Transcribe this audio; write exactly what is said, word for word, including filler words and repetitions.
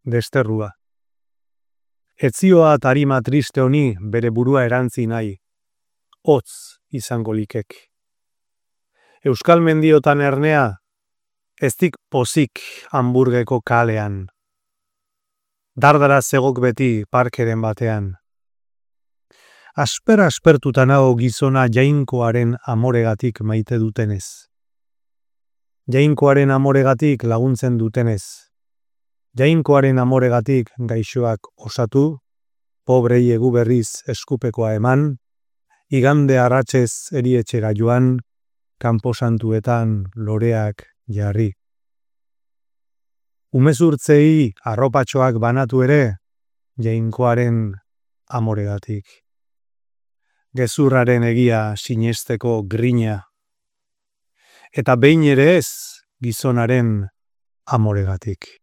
desterrua. Etzioa tarima triste honi bere burua erantzi nahi, hotz izango likek. Euskal mendiotan ernea, eztik pozik Hamburgeko kalean. Dardara zegok beti parkeren batean. Asper aspertuta nago gizona jainkoaren amoregatik maite dutenez. Jainkoaren amoregatik laguntzen dutenez. Jainkoaren amoregatik gaixoak osatu, pobrei egu berriz eskupekoa eman, igande arratsez erietxera joan, kanposantuetan loreak jarri. Umezurtzei arropatxoak banatu ere, jainkoaren amoregatik. Gezurraren egia sinesteko grina. Eta behin ere ez gizonaren amoregatik.